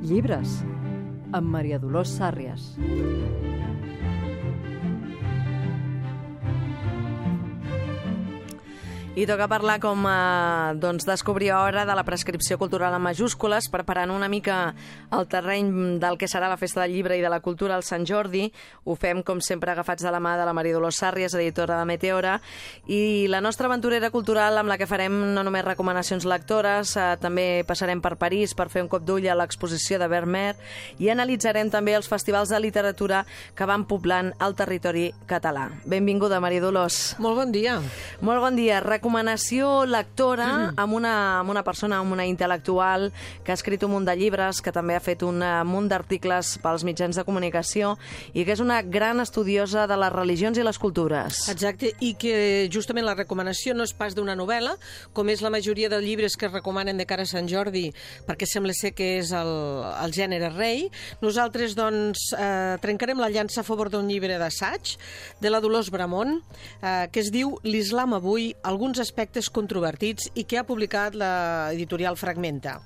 Llibres, amb Maria Dolors Sàrries. I toca parlar com descobrir hora de la prescripció cultural en majúscules, preparant una mica el terreny del que serà la Festa del Llibre i de la Cultura al Sant Jordi. Ho fem, com sempre, agafats de la mà de la Maria Dolors Sàrries, editora de Meteora, i la nostra aventurera cultural amb la que farem no només recomanacions lectores, també passarem per París per fer un cop d'ull a l'exposició de Vermeer i analitzarem també els festivals de literatura que van poblant el territori català. Benvinguda, Maria Dolors. Molt bon dia. Molt bon dia. Recomanació lectora amb una persona, amb una intel·lectual que ha escrit un munt de llibres, que també ha fet un munt d'articles pels mitjans de comunicació i que és una gran estudiosa de les religions i les cultures. Exacte, i que justament la recomanació no és pas d'una novel·la, com és la majoria de llibres que es recomanen de cara a Sant Jordi, perquè sembla ser que és el gènere rei. Nosaltres, doncs, trencarem la llança a favor d'un llibre d'assaig de la Dolors Bramon, que es diu L'Islam avui, alguns aspectes controvertits, i que ha publicat l'editorial Fragmenta.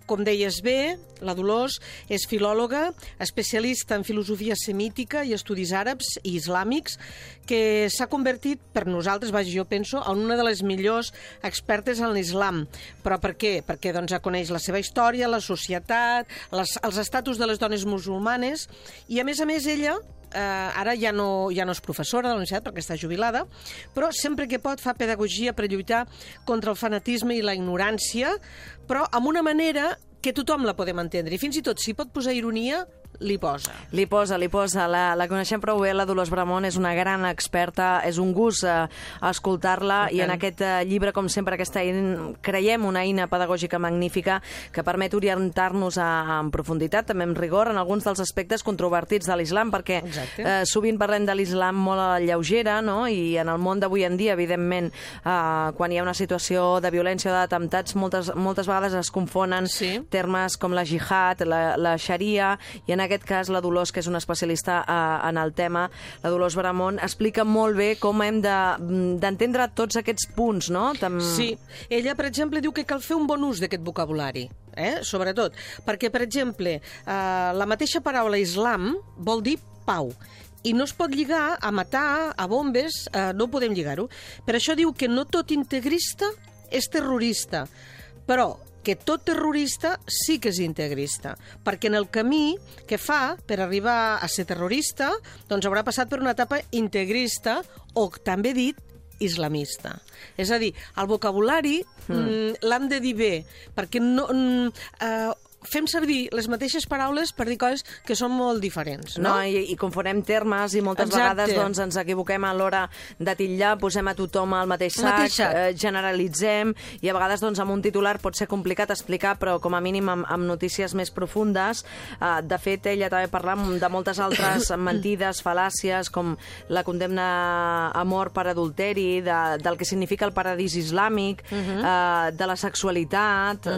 Com deies bé, la Dolors és filòloga, especialista en filosofia semítica i estudis àrabs i islàmics, que s'ha convertit, per nosaltres, jo penso, en una de les millors expertes en l'islam. Però per què? Perquè doncs, coneix la seva història, la societat, els estatus de les dones musulmanes, i a més, ella ara ja no és professora de la universitat perquè està jubilada, però sempre que pot fa pedagogia per lluitar contra el fanatisme i la ignorància, però amb una manera que tothom la podem entendre. I fins i tot, si pot posar ironia, li posa. Li posa. La coneixem prou bé, la Dolors Bramon és una gran experta, és un gust escoltar-la, i en aquest llibre, com sempre, creiem una eina pedagògica magnífica que permet orientar-nos en profunditat, també amb rigor, en alguns dels aspectes controvertits de l'islam, perquè sovint parlem de l'islam molt a la lleugera, no? I en el món d'avui en dia, evidentment, quan hi ha una situació de violència o d'atemptats, moltes vegades es confonen termes com la jihad, la xaria, i en aquest cas la Dolors, que és una especialista en el tema, la Dolors Bramon, explica molt bé com hem d'entendre tots aquests punts, no? Sí, ella, per exemple, diu que cal fer un bon ús d'aquest vocabulari, sobretot, perquè, per exemple, la mateixa paraula islam vol dir pau, i no es pot lligar a matar, a bombes, no podem lligar-ho. Per això diu que no tot integrista és terrorista, però que tot terrorista sí que és integrista, perquè en el camí que fa per arribar a ser terrorista, doncs haurà passat per una etapa integrista, o també dit islamista. És a dir, el vocabulari l'hem de dir bé, perquè fem servir les mateixes paraules per dir coses que són molt diferents, no? I confonem termes, i moltes vegades doncs, ens equivoquem a l'hora de titllar, posem a tothom al mateix sac, generalitzem, i a vegades doncs, amb un titular pot ser complicat explicar, però com a mínim amb notícies més profundes. De fet, ella també parla de moltes altres mentides, fal·làcies, com la condemna a mort per adulteri, del que significa el paradís islàmic, de la sexualitat,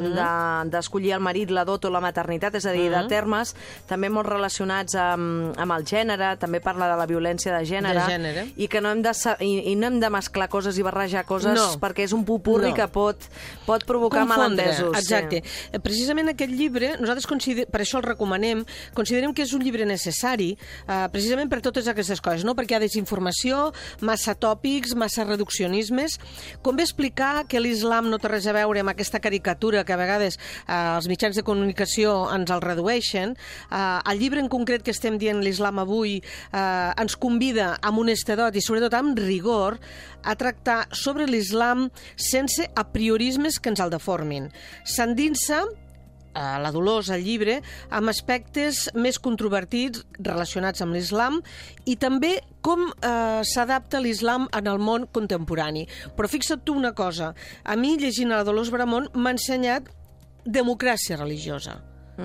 d'escollir el marit, la dot o la maternitat, és a dir, de termes també molt relacionats amb el gènere, també parla de la violència de gènere, i que no hem de mesclar coses i barrejar coses, perquè és un popurri que pot provocar malentesos. Exacte. Precisament aquest llibre, nosaltres per això el recomanem, considerem que és un llibre necessari, precisament per totes aquestes coses, no? Perquè hi ha desinformació, massa tòpics, massa reduccionismes. Convé explicar que l'islam no té res a veure amb aquesta caricatura que a vegades els mitjans de comunicació ens el redueixen. El llibre en concret que estem dient, l'Islam avui, ens convida amb honestedat i sobretot amb rigor a tractar sobre l'islam sense apriorismes que ens el deformin. S'endinsa la Dolors, al llibre, amb aspectes més controvertits relacionats amb l'islam i també com s'adapta l'islam en el món contemporani. Però fixa't tu una cosa, a mi, llegint a la Dolors Bramon, m'ha ensenyat democràcia religiosa,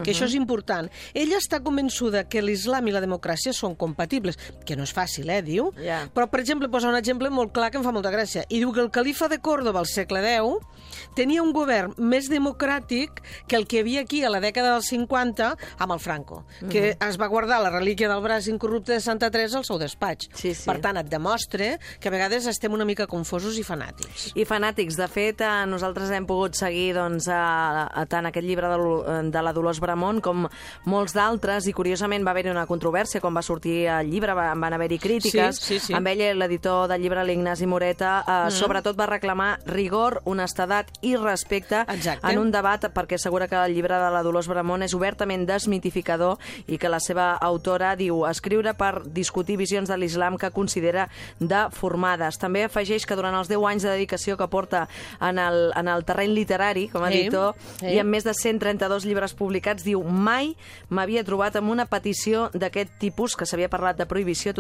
que això és important. Ella està convençuda que l'islam i la democràcia són compatibles, que no és fàcil, diu. Però, per exemple, posa un exemple molt clar que em fa molta gràcia, i diu que el califa de Còrdova al segle X tenia un govern més democràtic que el que hi havia aquí a la dècada dels 50 amb el Franco, que es va guardar la relíquia del braç incorrupte de Santa Teresa al seu despatx. Per tant, et demostra que a vegades estem una mica confosos i fanàtics. I fanàtics. De fet, nosaltres hem pogut seguir tant aquest llibre de la Dolors Dolors Bramont, com molts d'altres, i curiosament va haver-hi una controvèrsia quan va sortir el llibre, van haver-hi crítiques. Sí. Amb ell, l'editor del llibre, l'Ignasi Moreta, sobretot va reclamar rigor, honestedat i respecte en un debat, perquè assegura que el llibre de la Dolors Bramont és obertament desmitificador i que la seva autora diu escriure per discutir visions de l'islam que considera deformades. També afegeix que durant els 10 anys de dedicació que porta en el terreny literari, com a editor, i amb més de 132 llibres publicats, diu mai m'havia trobat amb una petició d'aquest tipus, que s'havia parlat de prohibició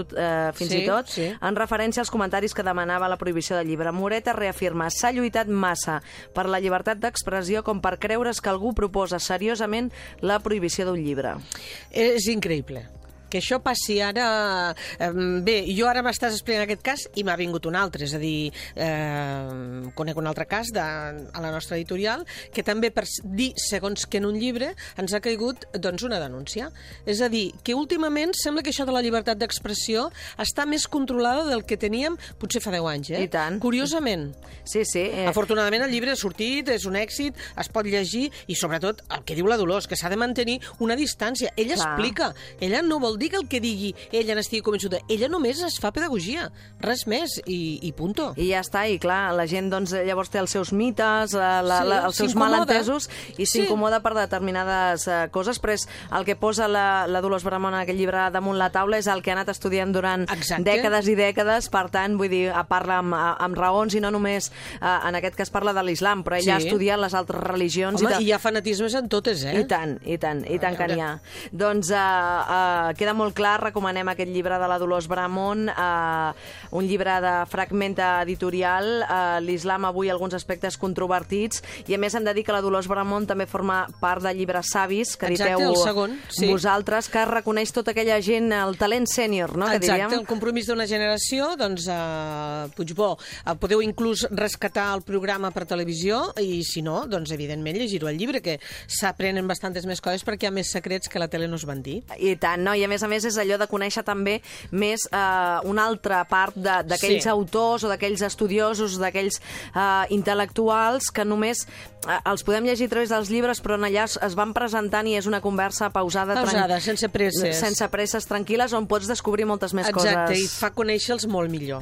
fins i tot, en referència als comentaris que demanava la prohibició del llibre. Moreta reafirma, s'ha lluitat massa per la llibertat d'expressió com per creure's que algú proposa seriosament la prohibició d'un llibre. És increïble. Que això passi ara... Bé, jo ara m'estàs explicant aquest cas i m'ha vingut un altre, és a dir, conec un altre cas a la nostra editorial que també per dir segons que en un llibre ens ha caigut doncs, una denúncia. És a dir, que últimament sembla que això de la llibertat d'expressió està més controlada del que teníem potser fa 10 anys, I tant. Curiosament. Sí. Afortunadament el llibre ha sortit, és un èxit, es pot llegir i sobretot el que diu la Dolors, que s'ha de mantenir una distància. Ella explica, ella no vol dir que el que digui ella n'estigui convençuda. Ella només es fa pedagogia, res més, i punto. I ja està, i clar, la gent doncs, llavors té els seus mites, els seus malentesos, i s'incomoda per determinades coses, però és el que posa la Dolors Bramont en aquest llibre damunt la taula, és el que ha anat estudiant durant dècades i dècades, per tant, vull dir, parla amb raons i no només, en aquest cas parla de l'islam, però ella ha estudiat les altres religions. Home, i hi ha fanatismes en totes, I tant que n'hi ha. Doncs queda molt clar, recomanem aquest llibre de la Dolors Bramont, un llibre de Fragmenta Editorial, l'islam avui, alguns aspectes controvertits, i a més hem de dir que la Dolors Bramont també forma part de Llibres Savis, que editeu vosaltres, que reconeix tota aquella gent, el talent sènior, no? Exacte, el compromís d'una generació, doncs, Puigbó, podeu inclús rescatar el programa per televisió, i si no, doncs, evidentment, llegir-ho al llibre, que s'aprenen bastantes més coses perquè hi ha més secrets que la tele no es van dir. I tant, no? I a més és allò de conèixer també més una altra part d'aquells autors o d'aquells estudiosos, d'aquells intel·lectuals que només els podem llegir a través dels llibres, però allà es van presentant i és una conversa pausada, sense presses. Sense presses, tranquil·les, on pots descobrir moltes més coses. Exacte, i fa conèixer-los molt millor.